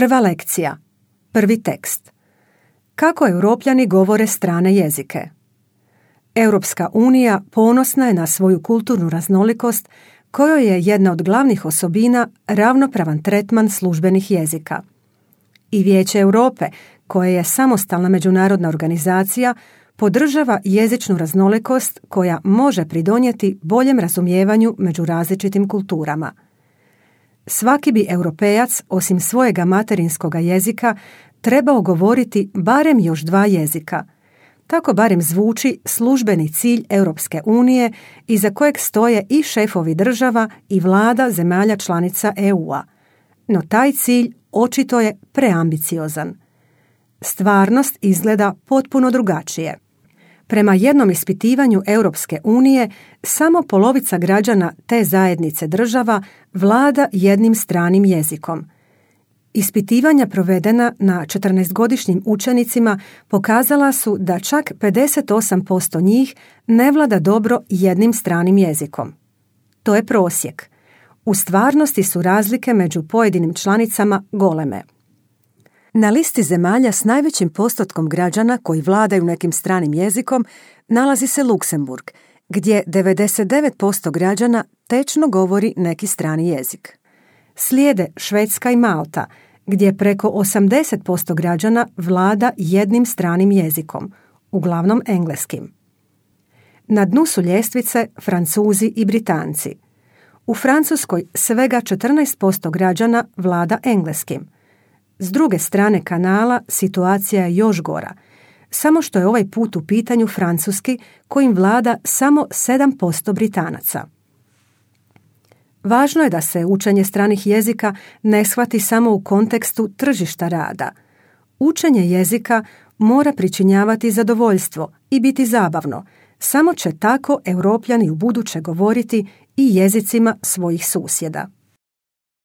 Prva lekcija. Prvi tekst. Kako Europljani govore strane jezike? Europska unija ponosna je na svoju kulturnu raznolikost, kojoj je jedna od glavnih osobina ravnopravan tretman službenih jezika. I Vijeće Europe, koje je samostalna međunarodna organizacija, podržava jezičnu raznolikost koja može pridonijeti boljem razumijevanju među različitim kulturama. Svaki bi Europejac, osim svojega materinskoga jezika, trebao govoriti barem još 2 jezika. Tako barem zvuči službeni cilj Europske unije iza kojeg stoje i šefovi država i vlada zemalja članica EU-a. No taj cilj očito je preambiciozan. Stvarnost izgleda potpuno drugačije. Prema jednom ispitivanju Europske unije, samo polovica građana te zajednice država vlada jednim stranim jezikom. Ispitivanja provedena na 14-godišnjim učenicima pokazala su da čak 58% njih ne vlada dobro jednim stranim jezikom. To je prosjek. U stvarnosti su razlike među pojedinim članicama goleme. Na listi zemalja s najvećim postotkom građana koji vladaju nekim stranim jezikom nalazi se Luksemburg, gdje 99% građana tečno govori neki strani jezik. Slijede Švedska i Malta, gdje preko 80% građana vlada jednim stranim jezikom, uglavnom engleskim. Na dnu su ljestvice Francuzi i Britanci. U Francuskoj svega 14% građana vlada engleskim. S druge strane kanala situacija je još gora, samo što je ovaj put u pitanju francuski kojim vlada samo 7% Britanaca. Važno je da se učenje stranih jezika ne shvati samo u kontekstu tržišta rada. Učenje jezika mora pričinjavati zadovoljstvo i biti zabavno, samo će tako Europljani ubuduće govoriti i jezicima svojih susjeda.